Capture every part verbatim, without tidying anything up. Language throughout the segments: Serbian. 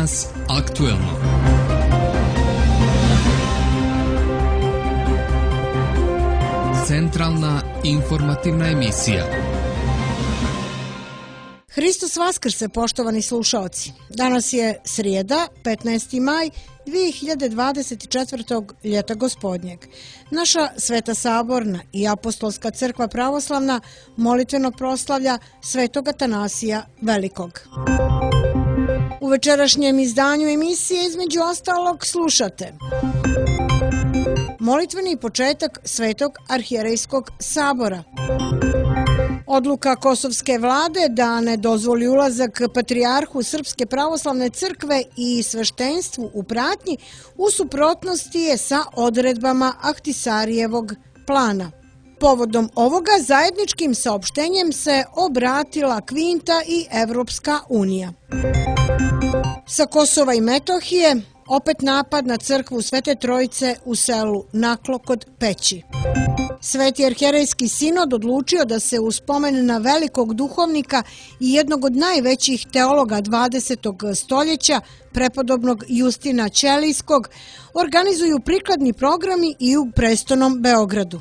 Danas aktuelno. Centralna informativna emisija. Hristos Vaskrse, poštovani slušaoci. Danas je srijeda, petnaesti maj dvije hiljade dvadeset četvrtog. ljeta gospodnjeg. Naša Sveta Saborna i Apostolska crkva pravoslavna molitveno proslavlja Svetog Atanasija Velikog. U večerašnjem izdanju emisije između ostalog slušate molitveni početak Svetog arhijerejskog sabora. Odluka Kosovske vlade da ne dozvoli ulazak patrijarhu Srpske pravoslavne crkve i sveštenstvu u pratnji u suprotnosti je sa odredbama Ahtisarijevog plana. Povodom ovoga zajedničkim saopštenjem se obratila Kvinta i Evropska unija. Sa Kosova i Metohije opet napad na crkvu Svete Trojice u selu Naklo kod Peći. Sveti arhijerejski sinod odlučio da se u spomen na velikog duhovnika i jednog od najvećih teologa dvadesetog stoljeća, prepodobnog Justina Ćelijskog, organizuju prikladni programi i u prestonom Beogradu.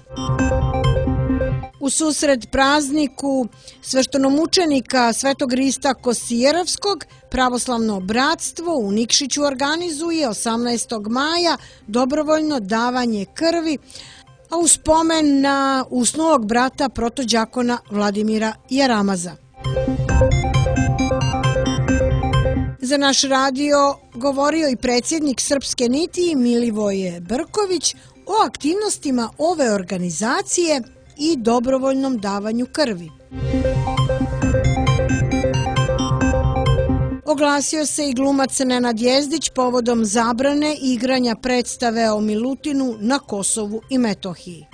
U susret prazniku sveštenomučenika Svetog Rista Kosijerovskog, pravoslavno bratstvo u Nikšiću organizuje osamnaestog maja dobrovoljno davanje krvi, a u spomen na usnulog brata protođakona Vladimira Jaramaza. Za naš radio govorio i predsjednik Srpske niti Milivoje Brković o aktivnostima ove organizacije i dobrovoljnom davanju krvi. Oglasio se i glumac Nenad Jezdić povodom zabrane igranja predstave o Milutinu na Kosovu i Metohiji.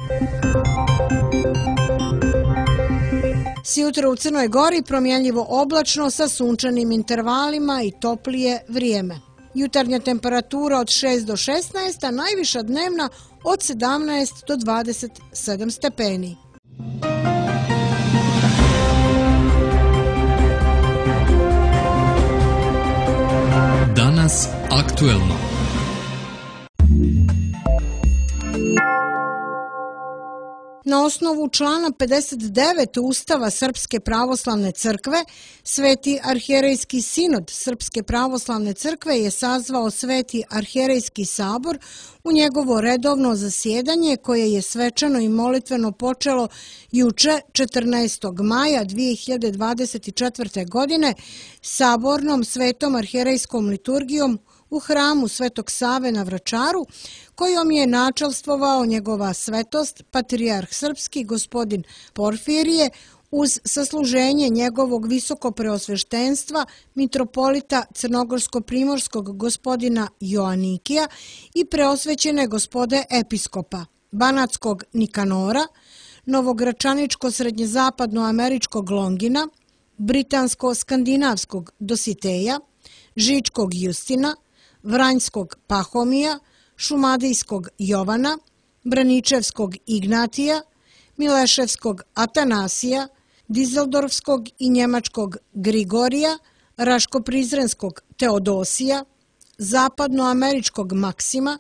Sjutra u Crnoj Gori promjenljivo oblačno sa sunčanim intervalima i toplije vrijeme. Jutarnja temperatura od šest do šesnaest, a najviša dnevna od sedamnaest do dvadeset sedam stepeni. Danas aktuelno. Na osnovu člana pedeset devet Ustava Srpske pravoslavne crkve, Sveti arhijerejski sinod Srpske pravoslavne crkve je sazvao Sveti arhijerejski sabor u njegovo redovno zasjedanje koje je svečano i molitveno počelo juče četrnaestog maja dvije hiljade dvadeset četvrte. godine sabornom svetom arhijerejskom liturgijom u hramu Svetog Save na Vračaru, kojom je načelstvovao njegova svetost, patrijarh srpski gospodin Porfirije, uz sasluženje njegovog visokopreosveštenstva, mitropolita crnogorsko-primorskog gospodina Joanikija i preosvećene gospode episkopa, banatskog Nikanora, novogračaničko-srednjezapadnoameričkog Longina, britansko-skandinavskog Dositeja, žičkog Justina, vranjskog Pahomija, šumadijskog Jovana, braničevskog Ignatija, mileševskog Atanasija, dizeldorfskog i njemačkog Grigorija, raško-prizrenskog Teodosija, zapadnoameričkog Maksima,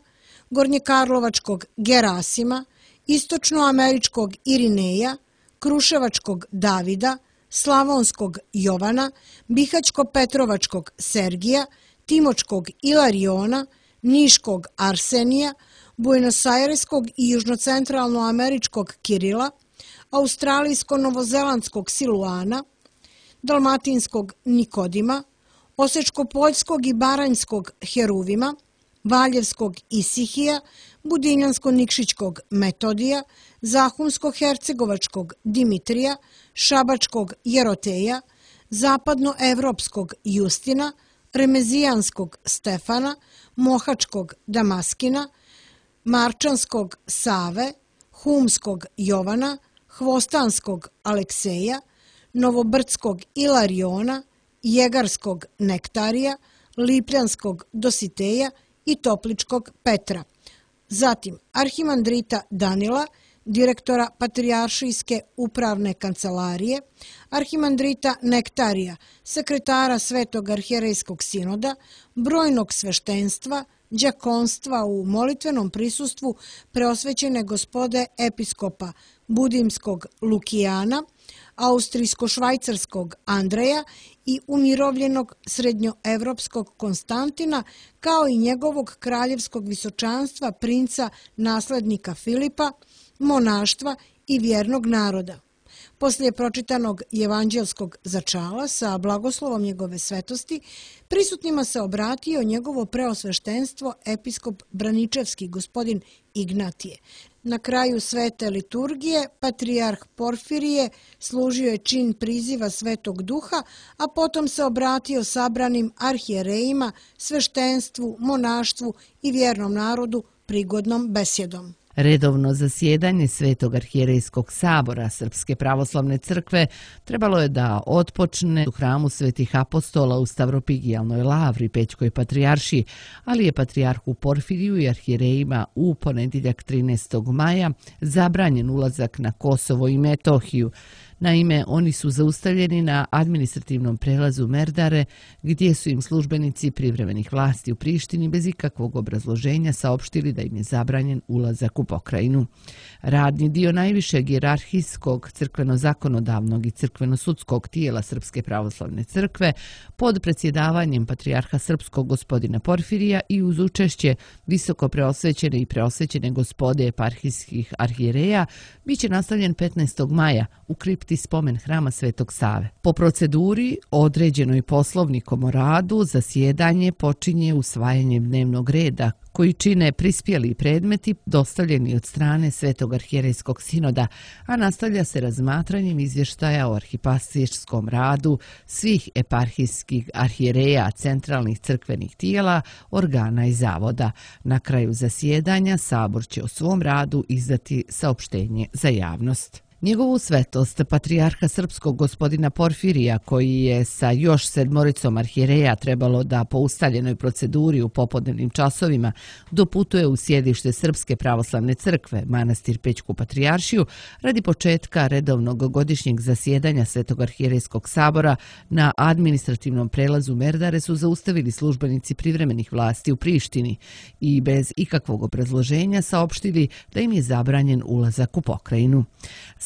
gornjekarlovačkog Gerasima, istočnoameričkog Irineja, kruševačkog Davida, slavonskog Jovana, bihaćko-petrovačkog Sergija, timočkog Ilariona, niškog Arsenija, buenosajreskog i južnocentralnoameričkog Kirila, australijsko-novozelandskog Siluana, dalmatinskog Nikodima, osečko-poljskog i baranjskog Heruvima, valjevskog Isihija, budinjansko-nikšićkog Metodija, zahumsko-hercegovačkog Dimitrija, šabačkog Jeroteja, zapadnoevropskog Justina, remezijanskog Stefana, mohačkog Damaskina, marčanskog Save, humskog Jovana, hvostanskog Alekseja, novobrdskog Ilariona, jegarskog Nektarija, lipljanskog Dositeja i topličkog Petra. Zatim arhimandrita Danila, direktora Patrijaršijske upravne kancelarije, arhimandrita Nektarija, sekretara Svetog arhijerejskog sinoda, brojnog sveštenstva, đakonstva u molitvenom prisustvu preosvećene gospode episkopa Budimskog Lukijana, austrijsko-švajcarskog Andreja i umirovljenog srednjoevropskog Konstantina, kao i njegovog kraljevskog visočanstva princa naslednika Filipa, monaštva i vjernog naroda. Poslije pročitanog evanđelskog začala sa blagoslovom njegove svetosti, prisutnima se obratio njegovo preosveštenstvo episkop Braničevski gospodin Ignatije. Na kraju svete liturgije patrijarh Porfirije služio je čin priziva Svetog Duha, a potom se obratio sabranim arhijerejima, sveštenstvu, monaštvu i vjernom narodu prigodnom besjedom. Redovno zasjedanje Svetog arhijerejskog sabora Srpske pravoslavne crkve trebalo je da otpočne u hramu Svetih apostola u Stavropigijalnoj lavri Pećkoj patrijaršiji, ali je patrijarhu Porfiriju i arhijerejima u ponedjeljak trinaestog maja zabranjen ulazak na Kosovo i Metohiju. Naime, oni su zaustavljeni na administrativnom prelazu Merdare, gdje su im službenici privremenih vlasti u Prištini bez ikakvog obrazloženja saopštili da im je zabranjen ulazak u pokrajinu. Radni dio najvišeg hijerarhijskog, crkveno-zakonodavnog i crkveno-sudskog tijela Srpske pravoslavne crkve pod predsjedavanjem patrijarha srpskog gospodina Porfirija i uz učešće visoko preosvećene i preosvećene gospode eparhijskih arhijereja bit će nastavljen petnaestog maja u kripti spomen hrama Svetog Save. Po proceduri, određenoj poslovnikom o radu, zasjedanje počinje usvajanjem dnevnog reda koji čine prispjeli predmeti dostavljeni od strane Svetog arhijerejskog sinoda, a nastavlja se razmatranjem izvještaja o arhipastirskom radu svih eparhijskih arhijereja, centralnih crkvenih tijela, organa i zavoda. Na kraju zasjedanja sabor će o svom radu izdati saopštenje za javnost. Njegovu svetost, patrijarha srpskog gospodina Porfirija, koji je sa još sedmoricom arhijereja trebalo da po ustaljenoj proceduri u popodnevnim časovima doputuje u sjedište Srpske pravoslavne crkve, manastir Pećku patrijaršiju, radi početka redovnog godišnjeg zasjedanja Svetog arhijerejskog sabora na administrativnom prelazu Merdare su zaustavili službenici privremenih vlasti u Prištini i bez ikakvog obrazloženja saopštili da im je zabranjen ulazak u pokrajinu.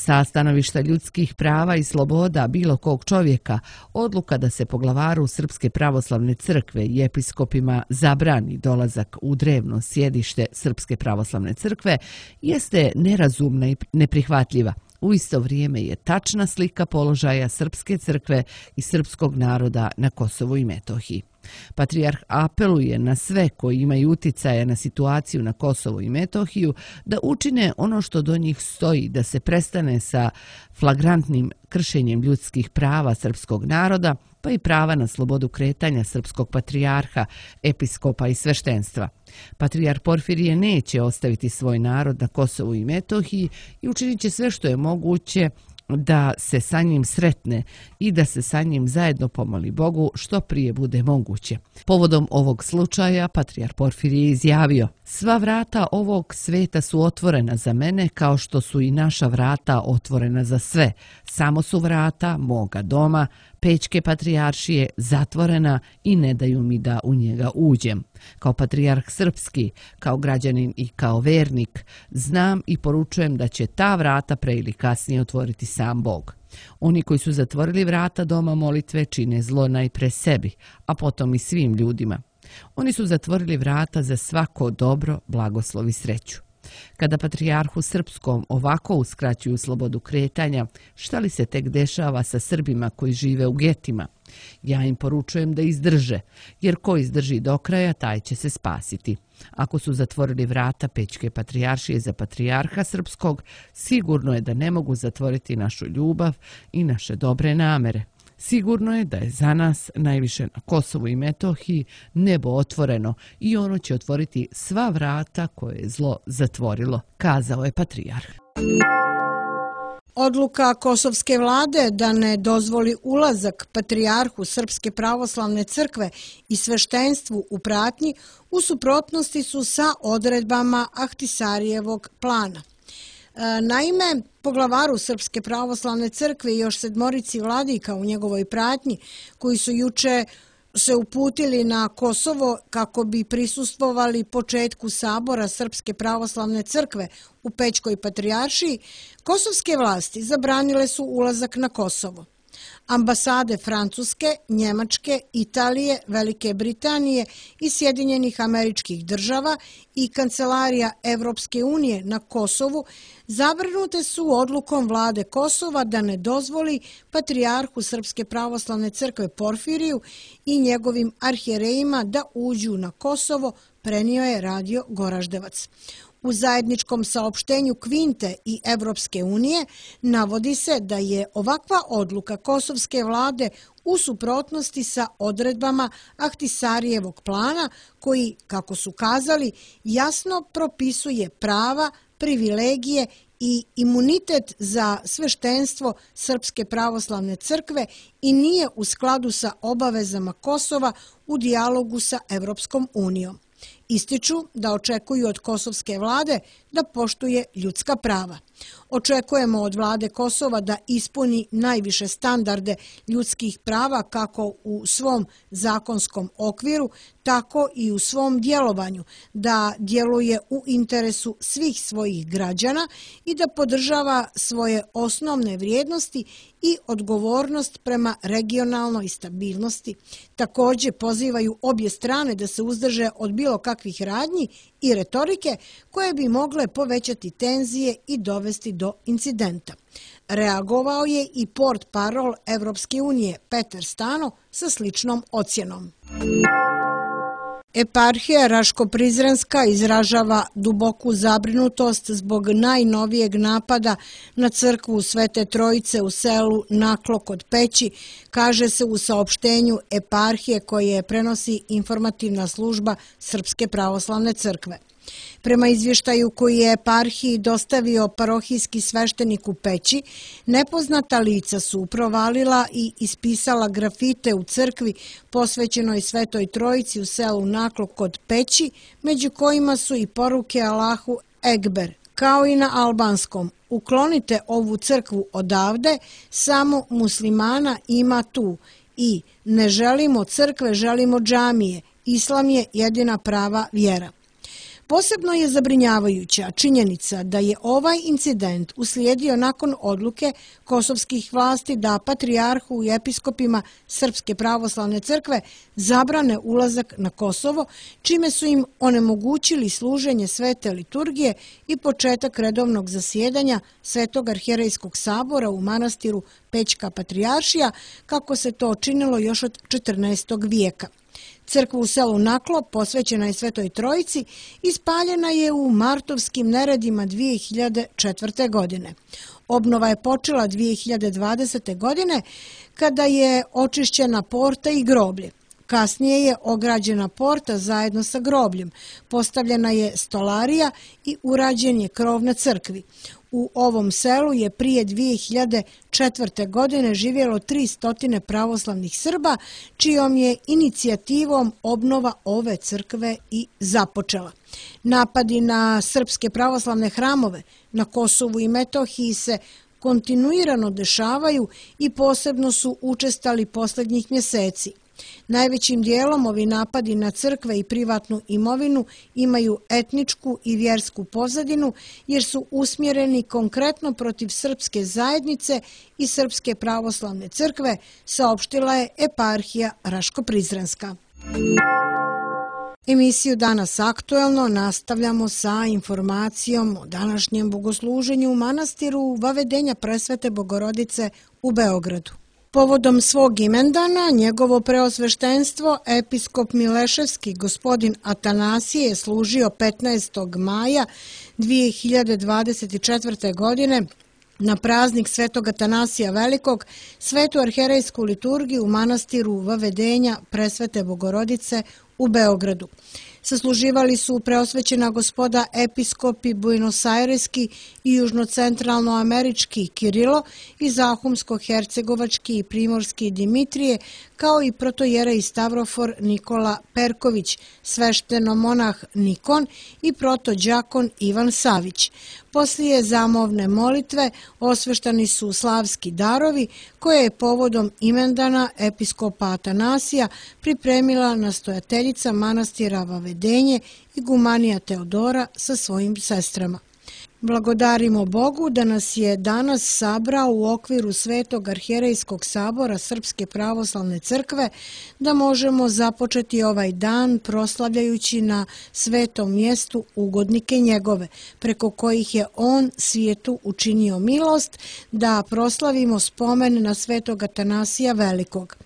Sa stanovišta ljudskih prava i sloboda bilo kog čovjeka, odluka da se poglavaru Srpske pravoslavne crkve i episkopima zabrani dolazak u drevno sjedište Srpske pravoslavne crkve jeste nerazumna i neprihvatljiva. U isto vrijeme je tačna slika položaja Srpske crkve i srpskog naroda na Kosovu i Metohiji. Patrijarh apeluje na sve koji imaju uticaja na situaciju na Kosovu i Metohiju da učine ono što do njih stoji, da se prestane sa flagrantnim kršenjem ljudskih prava srpskog naroda, pa i prava na slobodu kretanja srpskog patrijarha, episkopa i sveštenstva. Patrijarh Porfirije neće ostaviti svoj narod na Kosovu i Metohiji i učinit će sve što je moguće da se sa njim sretne i da se sa njim zajedno pomoli Bogu što prije bude moguće. Povodom ovog slučaja patrijarh Porfirije je izjavio: "Sva vrata ovog sveta su otvorena za mene kao što su i naša vrata otvorena za sve. Samo su vrata moga doma, Pećke patrijaršije, zatvorena i ne daju mi da u njega uđem. Kao patrijarh srpski, kao građanin i kao vernik, znam i poručujem da će ta vrata pre ili kasnije otvoriti sam Bog. Oni koji su zatvorili vrata doma molitve čine zlo najpre sebi, a potom i svim ljudima. Oni su zatvorili vrata za svako dobro, blagoslov i sreću. Kada patrijarhu srpskom ovako uskraćuju slobodu kretanja, šta li se tek dešava sa Srbima koji žive u getima? Ja im poručujem da izdrže, jer ko izdrži do kraja, taj će se spasiti. Ako su zatvorili vrata Pećke patrijaršije za patrijarha srpskog, sigurno je da ne mogu zatvoriti našu ljubav i naše dobre namere. Sigurno je da je za nas, najviše na Kosovu i Metohiji, nebo otvoreno i ono će otvoriti sva vrata koje je zlo zatvorilo", kazao je patrijarh. Odluka kosovske vlade da ne dozvoli ulazak patrijarhu Srpske pravoslavne crkve i sveštenstvu u pratnji u suprotnosti su sa odredbama Ahtisarijevog plana. Naime, poglavaru Srpske pravoslavne crkve i još sedmorici vladika u njegovoj pratnji, koji su juče se uputili na Kosovo kako bi prisustvovali početku sabora Srpske pravoslavne crkve u Pećkoj patrijaršiji, kosovske vlasti zabranile su ulazak na Kosovo. Ambasade Francuske, Njemačke, Italije, Velike Britanije i Sjedinjenih Američkih Država i Kancelarija Evropske unije na Kosovu zabrinute su odlukom vlade Kosova da ne dozvoli patrijarhu Srpske pravoslavne crkve Porfiriju i njegovim arhijerejima da uđu na Kosovo, prenio je radio Goraždevac. U zajedničkom saopštenju Kvinte i Evropske unije navodi se da je ovakva odluka kosovske vlade u suprotnosti sa odredbama Ahtisarijevog plana koji, kako su kazali, jasno propisuje prava, privilegije i imunitet za sveštenstvo Srpske pravoslavne crkve i nije u skladu sa obavezama Kosova u dijalogu sa Evropskom unijom. Ističu da očekuju od kosovske vlade da poštuje ljudska prava. Očekujemo od vlade Kosova da ispuni najviše standarde ljudskih prava kako u svom zakonskom okviru, tako i u svom djelovanju, da djeluje u interesu svih svojih građana i da podržava svoje osnovne vrijednosti i odgovornost prema regionalnoj stabilnosti. Također pozivaju obje strane da se uzdrže od bilo kakvih radnji i retorike koje bi mogle povećati tenzije i dovesti do incidenta. Reagovao je i portparol Evropske unije Petar Stano sa sličnom ocjenom. Eparhija Raško-Prizrenska izražava duboku zabrinutost zbog najnovijeg napada na crkvu Svete Trojice u selu Naklo kod Peći, kaže se u saopštenju eparhije koje prenosi informativna služba Srpske pravoslavne crkve. Prema izvještaju koji je eparhiji dostavio parohijski sveštenik u Peći, nepoznata lica su provalila i ispisala grafite u crkvi posvećenoj Svetoj Trojici u selu Naklo kod Peći, među kojima su i poruke Allahu Ekber, kao i na albanskom. Uklonite ovu crkvu odavde, samo muslimana ima tu i ne želimo crkve, želimo džamije. Islam je jedina prava vjera. Posebno je zabrinjavajuća činjenica da je ovaj incident uslijedio nakon odluke kosovskih vlasti da patrijarhu i episkopima Srpske pravoslavne crkve zabrane ulazak na Kosovo, čime su im onemogućili služenje svete liturgije i početak redovnog zasjedanja Svetog arhijerejskog sabora u manastiru Pećka patrijaršija, kako se to činilo još od četrnaestog vijeka. Crkva u selu Naklo, posvećena je Svetoj Trojici, ispaljena je u martovskim neredima dvije hiljade četvrte. godine. Obnova je počela dvije hiljade dvadesete. godine kada je očišćena porta i groblje. Kasnije je ograđena porta zajedno sa grobljem, postavljena je stolarija i urađen je krov na crkvi. U ovom selu je prije dvije hiljade četvrte. godine živjelo tristo pravoslavnih Srba, čijom je inicijativom obnova ove crkve i započela. Napadi na srpske pravoslavne hramove na Kosovu i Metohiji se kontinuirano dešavaju i posebno su učestali posljednjih mjeseci. Najvećim dijelom ovi napadi na crkve i privatnu imovinu imaju etničku i vjersku pozadinu jer su usmjereni konkretno protiv srpske zajednice i Srpske pravoslavne crkve, saopštila je eparhija Raško-Prizrenska. Emisiju Danas aktuelno nastavljamo sa informacijom o današnjem bogosluženju u manastiru Vavedenja Presvete Bogorodice u Beogradu. Povodom svog imendana, njegovo preosveštenstvo, episkop Mileševski gospodin Atanasije je služio petnaestog maja dvije hiljade dvadeset četvrte. godine na praznik Svetog Atanasija Velikog svetu arhijerejsku liturgiju u manastiru Vavedenja Presvete Bogorodice u Beogradu. Sasluživali su preosvećena gospoda episkopi buenosajreski i južnocentralnoamerički Kirilo i zahumsko-hercegovački i primorski Dimitrije, kao i protojerej Stavrofor Nikola Perković, sveštenomonah Nikon i protođakon Ivan Savić. Poslije zamovne molitve osveštani su slavski darovi koje je povodom imendana episkopa Atanasija pripremila nastojateljica manastira Vavedenje i gumanija Teodora sa svojim sestrama. Blagodarimo Bogu da nas je danas sabrao u okviru Svetog arhijerejskog sabora Srpske pravoslavne crkve, da možemo započeti ovaj dan proslavljajući na svetom mjestu ugodnike njegove, preko kojih je on svijetu učinio milost, da proslavimo spomen na Svetog Atanasija Velikog.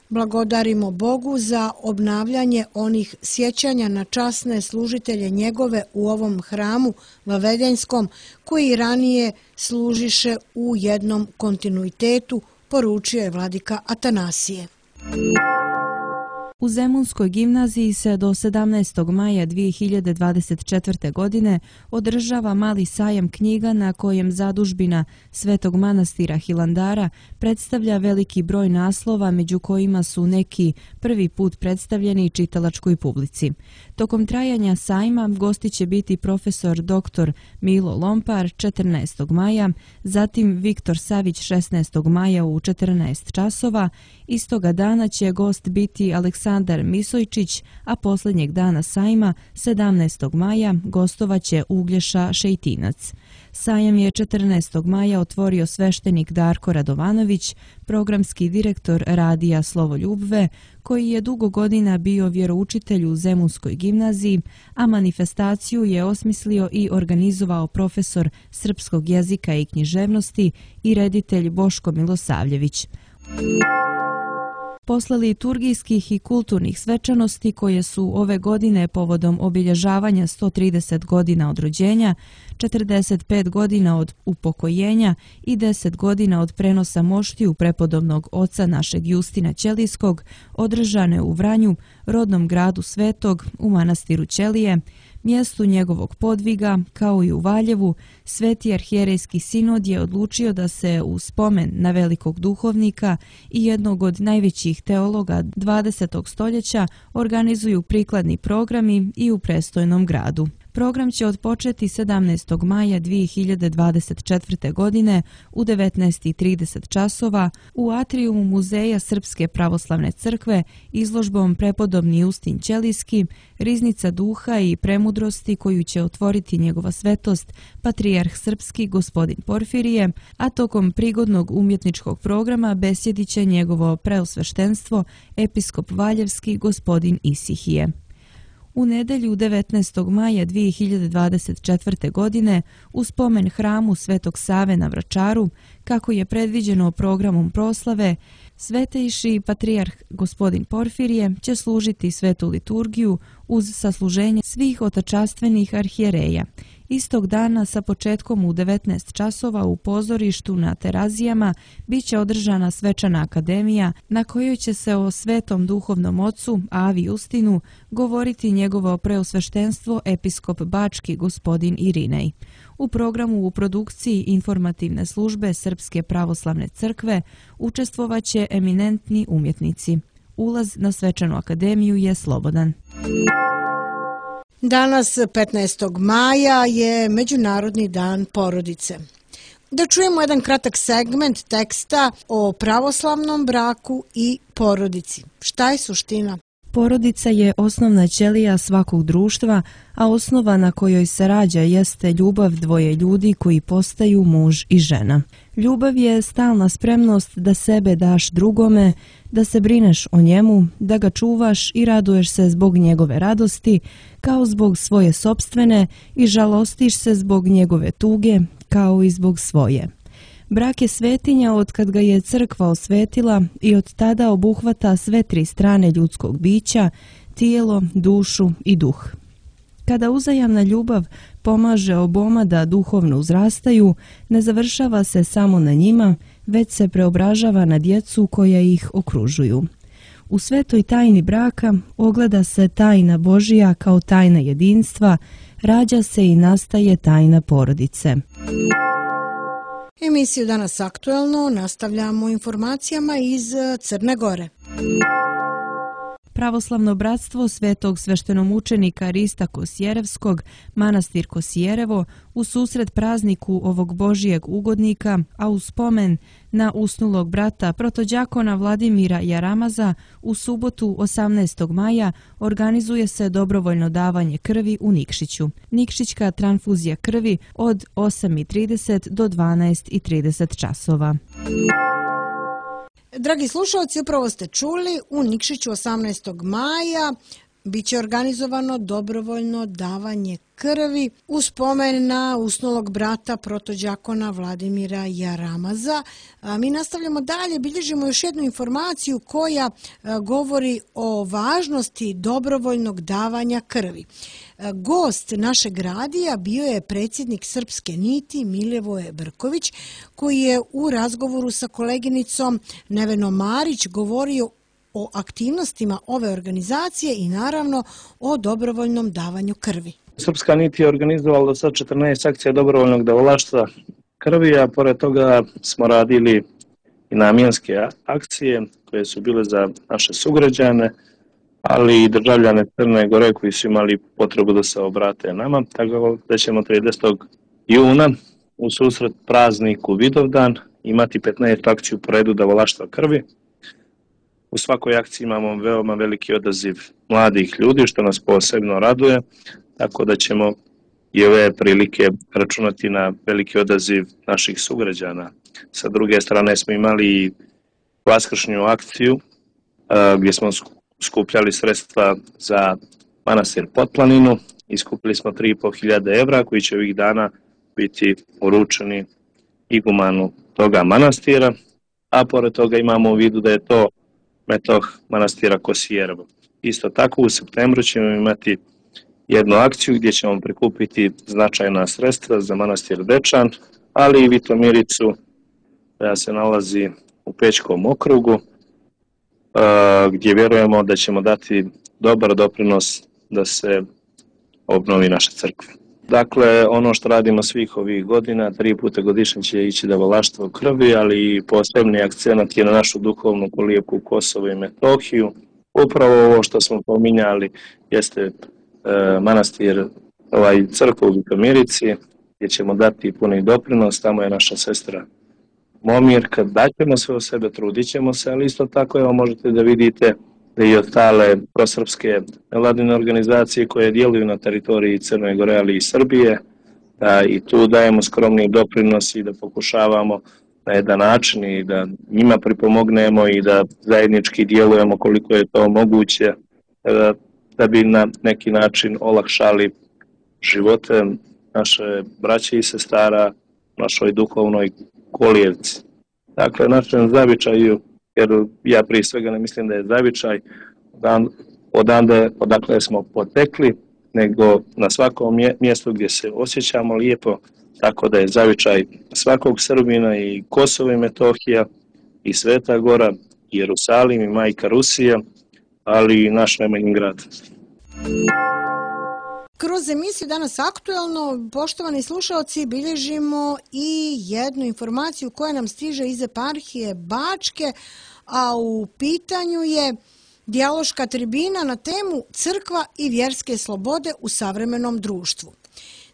Blagodarimo Bogu za obnavljanje onih sjećanja na časne služitelje njegove u ovom hramu Vavedenjskom, koji ranije služiše u jednom kontinuitetu, poručio je vladika Atanasije. U Zemunskoj gimnaziji se do sedamnaestog maja dvije hiljade dvadeset četvrte. godine održava mali sajam knjiga na kojem zadužbina Svetog manastira Hilandara predstavlja veliki broj naslova, među kojima su neki prvi put predstavljeni čitalačkoj publici. Tokom trajanja sajma gosti će biti profesor doktor Milo Lompar četrnaestog maja, zatim Viktor Savić šesnaestog maja u četrnaest časova. Istoga dana će gost biti Aleksandar Misojčić, a posljednjeg dana sajma, sedamnaestog maja, gostovaće Uglješa Šejtinac. Sajam je četrnaestog maja otvorio sveštenik Darko Radovanović, programski direktor radija Slovo Ljubve, koji je dugo godina bio vjeroučitelj u Zemunskoj gimnaziji, a manifestaciju je osmislio i organizovao profesor srpskog jezika i književnosti i reditelj Boško Milosavljević. Posle liturgijskih i kulturnih svečanosti koje su ove godine povodom obilježavanja sto trideset godina od rođenja, četrdeset pet godina od upokojenja i deset godina od prenosa moštiju prepodobnog oca našeg Justina Ćelijskog, održane u Vranju, rodnom gradu Svetog, u manastiru Ćelije, mjestu njegovog podviga, kao i u Valjevu, Sveti arhijerejski sinod je odlučio da se u spomen na velikog duhovnika i jednog od najvećih teologa dvadesetog stoljeća organizuju prikladni programi i u prestojnom gradu. Program će odpočeti sedamnaestog maja dvije hiljade dvadeset četvrte. godine u devetnaest i trideset časova u atrijumu Muzeja Srpske pravoslavne crkve izložbom Prepodobni Justin Ćelijski, Riznica duha i premudrosti koju će otvoriti njegova svetost patrijarh srpski gospodin Porfirije, a tokom prigodnog umjetničkog programa besjedit će njegovo preosveštenstvo episkop Valjevski gospodin Isihije. U nedelju devetnaestog maja dvije hiljade dvadeset četvrte. godine u spomen hramu Svetog Save na Vračaru, kako je predviđeno programom proslave, svetejši patrijarh gospodin Porfirije će služiti svetu liturgiju uz sasluženje svih otačastvenih arhijereja. Istog dana sa početkom u devetnaest časova u pozorištu na Terazijama bit će održana svečana akademija na kojoj će se o svetom duhovnom ocu Avi Justinu govoriti njegovo preosveštenstvo episkop Bački gospodin Irinej. U programu u produkciji informativne službe Srpske pravoslavne crkve učestvovaće eminentni umjetnici. Ulaz na svečanu akademiju je slobodan. Danas, petnaestog maja, je Međunarodni dan porodice. Da čujemo jedan kratak segment teksta o pravoslavnom braku i porodici. Šta je suština? Porodica je osnovna ćelija svakog društva, a osnova na kojoj se rađa jeste ljubav dvoje ljudi koji postaju muž i žena. Ljubav je stalna spremnost da sebe daš drugome, da se brineš o njemu, da ga čuvaš i raduješ se zbog njegove radosti, kao zbog svoje sopstvene, i žalostiš se zbog njegove tuge, kao i zbog svoje. Brak je svetinja od kad ga je crkva osvetila i od tada obuhvata sve tri strane ljudskog bića, tijelo, dušu i duh. Kada uzajamna ljubav pomaže oboma da duhovno uzrastaju, ne završava se samo na njima, već se preobražava na djecu koja ih okružuju. U svetoj tajni braka ogleda se tajna Božija kao tajna jedinstva, rađa se i nastaje tajna porodice. Emisiju Danas aktuelno nastavljamo informacijama iz Crne Gore. Pravoslavno bratstvo Svetog sveštenomučenika Rista Kosjerevskog, manastir Kosjerevo, u susret prazniku ovog Božijeg ugodnika, a u spomen na usnulog brata protođakona Vladimira Jaramaza, u subotu osamnaestog maja organizuje se dobrovoljno davanje krvi u Nikšiću. Nikšićka transfuzija krvi od osam i trideset do dvanaest i trideset časova. Dragi slušalci, upravo ste čuli, u Nikšiću osamnaestog maja biće organizovano dobrovoljno davanje krvi u spomen na usnulog brata protođakona Vladimira Jaramaza. Mi nastavljamo dalje, bilježimo još jednu informaciju koja govori o važnosti dobrovoljnog davanja krvi. Gost našeg radija bio je predsjednik Srpske niti Milivoje Brković, koji je u razgovoru sa koleginicom Nevenom Marić govorio o aktivnostima ove organizacije i naravno o dobrovoljnom davanju krvi. Srpska nit je organizovala do sad četrnaest akcija dobrovoljnog davalaštva krvi, a pored toga smo radili i namjenske akcije koje su bile za naše sugrađane, ali i državljane Crne Gore koji su imali potrebu da se obrate nama. Tako da ćemo tridesetog juna u susret prazniku Vidovdan imati petnaestu akciju po redu davalaštva krvi. U svakoj akciji imamo veoma veliki odaziv mladih ljudi, što nas posebno raduje, tako da ćemo i ove prilike računati na veliki odaziv naših sugrađana. Sa druge strane smo imali vaskršnju akciju gdje smo skupljali sredstva za manastir Potplaninu i skupili smo tri i po hiljade evra koji će ovih dana biti uručeni igumanu toga manastira, a pored toga imamo u vidu da je to metoh manastira Kosjerevo. Isto tako u septembru ćemo imati jednu akciju gdje ćemo prikupiti značajna sredstva za manastir Dečan, ali i Vitomiricu koja se nalazi u Pećkom okrugu, gdje vjerujemo da ćemo dati dobar doprinos da se obnovi naša crkva. Dakle, ono što radimo svih ovih godina, tri puta godišnje će ići davalaštvo krvi, ali i posebni akcenat je na našu duhovnu kolijevku Kosovo i Metohiju. Upravo ovo što smo pominjali jeste e, manastir, ovaj crkva u Vitomirici, gdje ćemo dati puni doprinos, tamo je naša sestra Momirka, daćemo sve o sebe, trudit ćemo se, ali isto tako evo možete da vidite da i ostale prosrpske nevladine organizacije koje djeluju na teritoriji Crne Gore, ali i Srbije, da i tu dajemo skromni doprinos i da pokušavamo na jedan način i da njima pripomognemo i da zajednički djelujemo koliko je to moguće, da, da bi na neki način olakšali živote naše braće i sestara, našoj duhovnoj kolijevci. Dakle, našem zavičaju, jer ja prije svega ne mislim da je zavičaj odande, odakle smo potekli, nego na svakom mjestu gdje se osjećamo lijepo, tako da je zavičaj svakog Srbina i Kosovo i Metohija i Sveta Gora, i Jerusalim i Majka Rusija, ali i naš Nemanjin grad. Kroz emisiju Danas aktuelno, poštovani slušalci, bilježimo i jednu informaciju koja nam stiže iz eparhije Bačke, a u pitanju je dijaloška tribina na temu Crkva i vjerske slobode u savremenom društvu.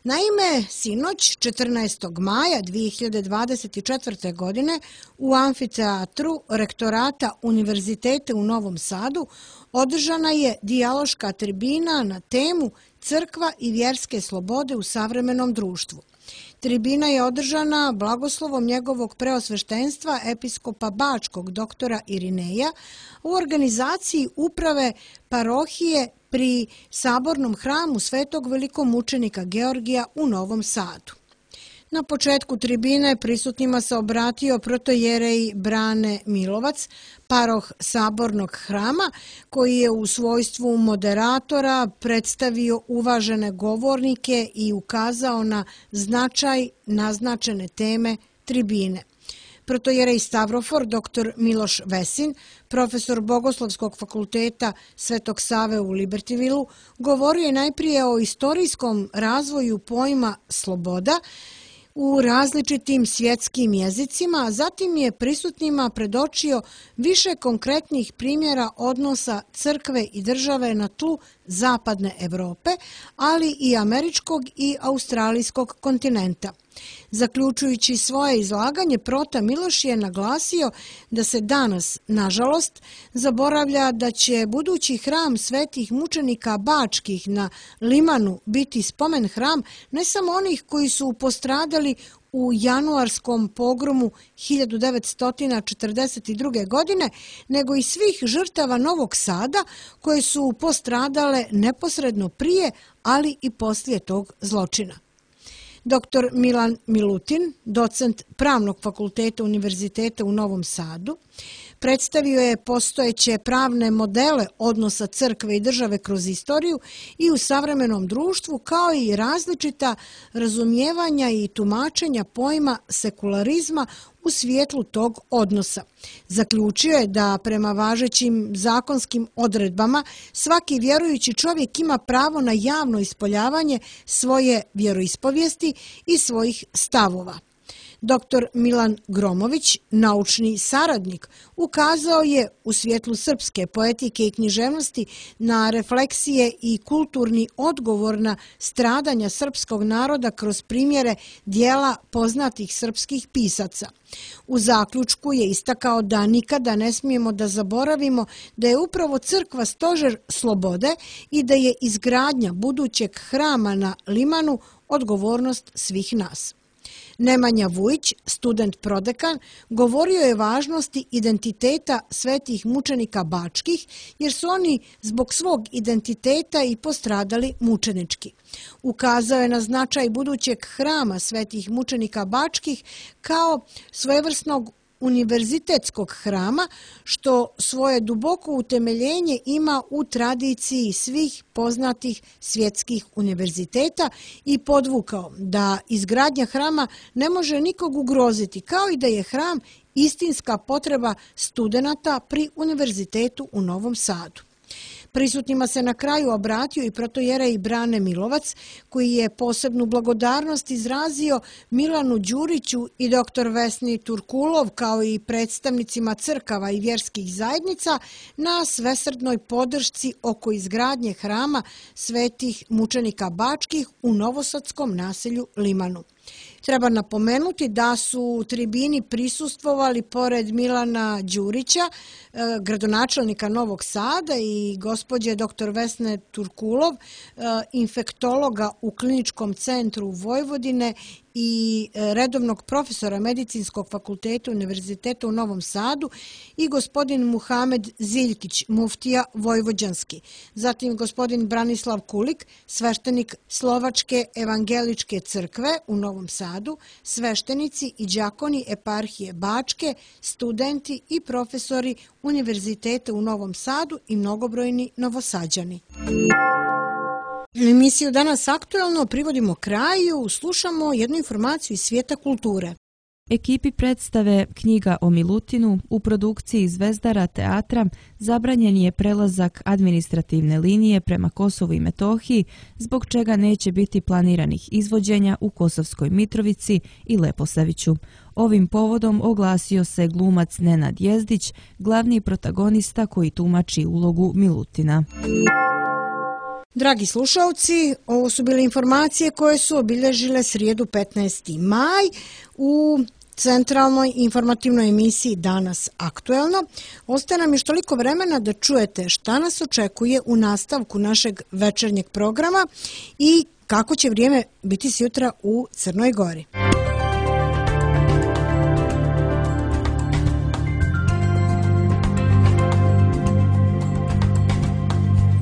Naime, sinoć, četrnaestog maja dvije hiljade dvadeset četvrte. godine, u amfiteatru Rektorata Univerziteta u Novom Sadu održana je dijaloška tribina na temu Crkva i vjerske slobode u savremenom društvu. Tribina je održana blagoslovom njegovog preosveštenstva episkopa Bačkog doktora Irineja u organizaciji uprave parohije pri Sabornom hramu Svetog velikomučenika Georgija u Novom Sadu. Na početku tribine prisutnima se obratio protojerej Brane Milovac, paroh Sabornog hrama, koji je u svojstvu moderatora predstavio uvažene govornike i ukazao na značaj naznačene teme tribine. Protojerej Stavrofor, doktor Miloš Vesin, profesor Bogoslovskog fakulteta Svetog Save u Libertyvilu, govorio je najprije o istorijskom razvoju pojma sloboda u različitim svjetskim jezicima, a zatim je prisutnima predočio više konkretnih primjera odnosa crkve i države na tlu zapadne Evrope, ali i američkog i australijskog kontinenta. Zaključujući svoje izlaganje, prota Miloš je naglasio da se danas, nažalost, zaboravlja da će budući hram svetih mučenika bačkih na Limanu biti spomen hram ne samo onih koji su postradali u januarskom pogromu hiljadu devetsto četrdeset druge. godine, nego i svih žrtava Novog Sada koje su postradale neposredno prije, ali i poslije tog zločina. Doktor Milan Milutin, docent Pravnog fakulteta Univerziteta u Novom Sadu, predstavio je postojeće pravne modele odnosa crkve i države kroz istoriju i u savremenom društvu, kao i različita razumijevanja i tumačenja pojma sekularizma u svjetlu tog odnosa. Zaključio je da prema važećim zakonskim odredbama svaki vjerujući čovjek ima pravo na javno ispoljavanje svoje vjeroispovijesti i svojih stavova. Doktor Milan Gromović, naučni saradnik, ukazao je u svjetlu srpske poetike i književnosti na refleksije i kulturni odgovor na stradanja srpskog naroda kroz primjere dijela poznatih srpskih pisaca. U zaključku je istakao da nikada ne smijemo da zaboravimo da je upravo crkva stožer slobode i da je izgradnja budućeg hrama na Limanu odgovornost svih nas. Nemanja Vujić, student prodekan, govorio je važnosti identiteta svetih mučenika bačkih, jer su oni zbog svog identiteta i postradali mučenički. Ukazao je na značaj budućeg hrama svetih mučenika bačkih kao svojevrsnog univerzitetskog hrama, što svoje duboko utemeljenje ima u tradiciji svih poznatih svjetskih univerziteta i podvukao da izgradnja hrama ne može nikog ugroziti, kao i da je hram istinska potreba studenata pri Univerzitetu u Novom Sadu. Prisutnima se na kraju obratio i protojerej Brane Milovac, koji je posebnu blagodarnost izrazio Milanu Đuriću i doktor Vesni Turkulov, kao i predstavnicima crkava i vjerskih zajednica, na svesrdnoj podršci oko izgradnje hrama svetih mučenika bačkih u novosadskom naselju Limanu. Treba napomenuti da su u tribini prisustvovali pored Milana Đurića, gradonačelnika Novog Sada, i gospođe doktor Vesne Turkulov, infektologa u Kliničkom centru Vojvodine i redovnog profesora Medicinskog fakulteta Univerziteta u Novom Sadu, i gospodin Muhamed Ziljkić, muftija vojvođanski. Zatim gospodin Branislav Kulik, sveštenik Slovačke evangeličke crkve u Novom Sadu, sveštenici i đakoni eparhije Bačke, studenti i profesori Univerziteta u Novom Sadu i mnogobrojni Novosađani. Emisiju Danas aktuelno privodimo kraju, slušamo jednu informaciju iz svijeta kulture. Ekipi predstave Knjiga o Milutinu u produkciji Zvezdara teatra zabranjen je prelazak administrativne linije prema Kosovu i Metohiji, zbog čega neće biti planiranih izvođenja u Kosovskoj Mitrovici i Leposaviću. Ovim povodom oglasio se glumac Nenad Jezdić, glavni protagonista koji tumači ulogu Milutina. Dragi slušalci, ovo su bile informacije koje su obilježile srijedu petnaesti maj u centralnoj informativnoj emisiji Danas aktuelno. Ostaje nam još toliko vremena da čujete šta nas očekuje u nastavku našeg večernjeg programa i kako će vrijeme biti sutra u Crnoj Gori.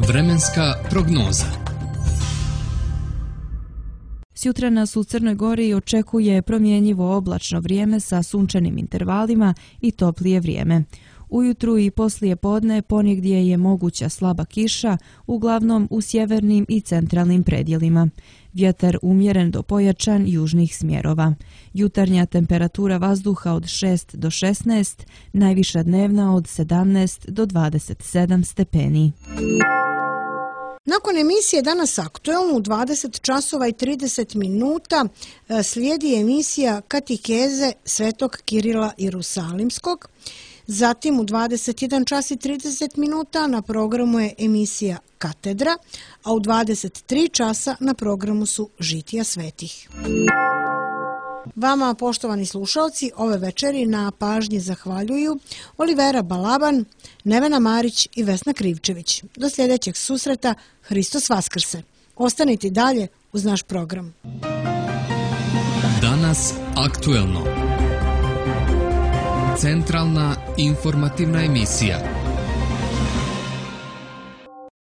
Vremenska prognoza. Sutra nas u Crnoj Gori očekuje promjenjivo oblačno vrijeme sa sunčanim intervalima i toplije vrijeme. Ujutru i poslije podne ponegdje je moguća slaba kiša, uglavnom u sjevernim i centralnim predjelima. Vjetar umjeren do pojačan južnih smjerova. Jutarnja temperatura vazduha od šest do šesnaest, najviša dnevna od sedamnaest do dvadeset sedam stepeni. Nakon emisije Danas aktuelno u dvadeset časova i trideset minuta slijedi emisija Katikeze Svetog Kirila Jerusalimskog. Zatim u dvadeset jedan čas i trideset minuta na programu je emisija Katedra, a u dvadeset tri časa na programu su Žitija svetih. Vama, poštovani slušalci, ove večeri na pažnji zahvaljuju Olivera Balaban, Nevena Marić i Vesna Krivčević. Do sljedećeg susreta, Hristos Vaskrse. Ostanite dalje uz naš program. Danas aktuelno. Centralna informativna emisija.